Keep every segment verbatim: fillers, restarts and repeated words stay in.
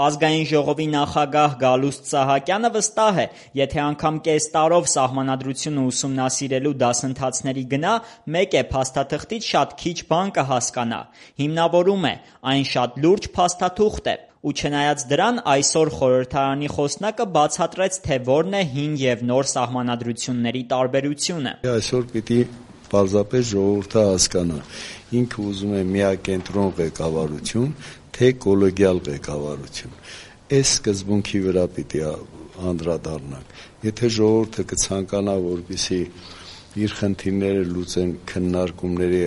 Ազգային ժողովի նախագահ Գալուստ Սահակյանը վստահ է, եթե անգամ կես տարով սահմանադրությունը ուսումնասիրելու դասընթացների գնա, մեկ է փաստաթղթից շատ քիչ բան կհասկանա։ Հիմնավորում է, այն շատ լուրջ փաստաթուղթ է։ Ու չնայած դրան, այսօր խորհրդարանի խոսնակը բացատրեց, թե որն է հին և նոր սահմանադրությունների տարբերությունը։ Այսօր պիտի պարզապես ժողովուրդը հասկանա, ինքը ուզում է միակենտրոն ղեկավարություն, թե կոլեգիալ ղեկավարություն։ Այս սկզբունքի վրա պիտի անդրադառնանք։ Եթե ժողովուրդը կցանկանա, որպեսզի իր խնդիրները լուծեն քննարկումների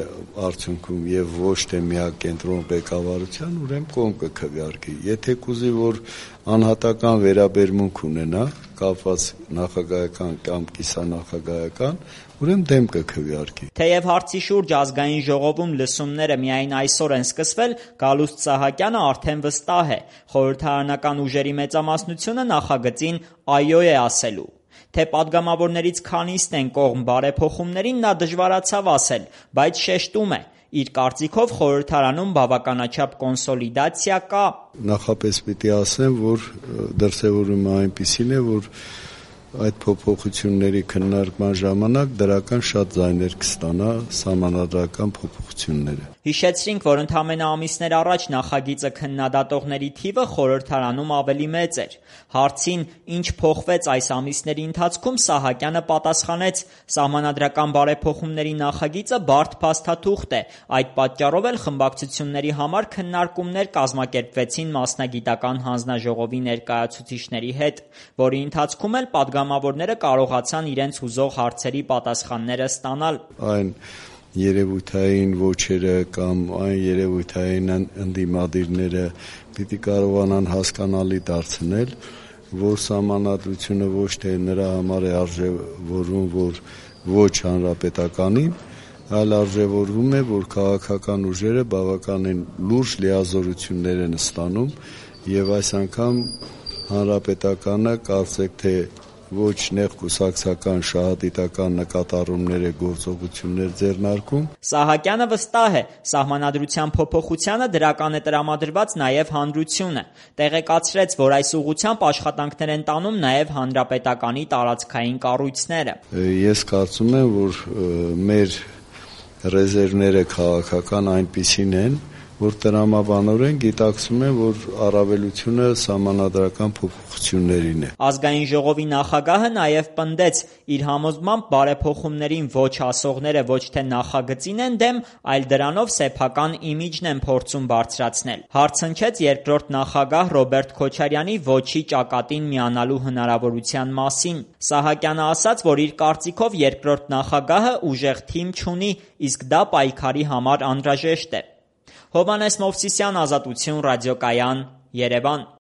արդյունքում եւ ոչ թե միակենտրոն ղեկավարության, ուրեմն կողմ կքվեարկի։ Եթե կուզի, որ անհատական վերաբերմունք ունենա, կապված նախագահական կամ կիսանախագահական, ուրեմն դեմ կքվեարկի։ Թեև հարցի շուրջ Ազգային ժողովում լսումները միայն այսօր են սկսվել, Գալուստ Սահակյանը արդեն վստահ է, խորհրդարանական ուժերի մեծամասնությունը նախագծին այո է ասելու։ Թե պատգամավորներից քանիսն են կողմ բարեփոխումներին, նա դժվարացավ ասել, բայց շեշտում է, իր կարծիքով խորհրդարանում բավականաչափ կոնսոլիդացիա կա։ Նախապես պիտի ասեմ, որ դրսևորումը այնպիսին է, որ այդ փոփոխությունների քննարկման ժամանակ դրական շատ ձայներ կստանա սահմանադրական փոփոխությունները։ Հիշեցրինք, որ ընդամենը ամիսներ առաջ նախագիծը քննադատողների թիվը խորհրդարանում ավելի մեծ էր։ Հարցին, ինչ փոխվեց այս ամիսների ընթացքում, Սահակյանը պատասխանեց. սահմանադրական բարեփոխումների նախագիծը բարդ փաստաթուղթ է, այդ պատճառով էլ խմբակցությունների համար քննարկումներ կազմակերպվեցին մասնագիտական հանձնաժողովի ներկայացուցիչների հետ, որի ընթացքում էլ պատգամավորները կարողացան իրենց հուզող հարցերի պատասխանները ստանալ։ Այն երևույթային ոչերը կամ այն երևույթային ընդդիմադիրները պիտի կարողանան հասկանալի դարձնել, որ սահմանադրությունը ոչ թե նրա համար է արժևորվում, որ ոչ հանրապետականին, այլ արժևորվում է, որ քաղաքական ուժերը բավականին լուրջ լիազորություններ են ստանում եւ այս անգամ հանրապետականը կարծեք թե ոչ նեղ կուսակցական շահադիտական նկատառումներ է գործողություններ ձեռնարկում։ Սահակյանը վստահ է, սահմանադրության փոփոխությանը դրական է տրամադրված նաև հանրությունը։ Տեղեկացրեց, որ այս ուղղությամբ աշխատանքներ են տանում նաև հանրապետականի տարածքային կառույցները։ Ես կարծում եմ, որ մեր ռեզերվները քաղաքական այնպիսին են, որ տրամաբանորեն գիտակցում են, որ առավելությունը սահմանադրական փոփոխություններին է։ Ազգային ժողովի նախագահը նաև պնդեց, իր համոզմամբ բարեփոխումներին ոչ ասողները ոչ թե նախագծին են դեմ, այլ դրանով սեփական իմիջն են փորձում բարձրացնել։ Հարց հնչեց երկրորդ նախագահ Ռոբերտ Քոչարյանի ոչի ճակատին միանալու հնարավորության մասին։ Սահակյանը ասաց, որ իր կարծիքով երկրորդ նախագահը ուժեղ թիմ չունի, իսկ դա պայքարի համար անհրաժեշտ է։ Հովհաննես Մովսիսյան, Ազատություն, Ռադիոկայան, Երևան։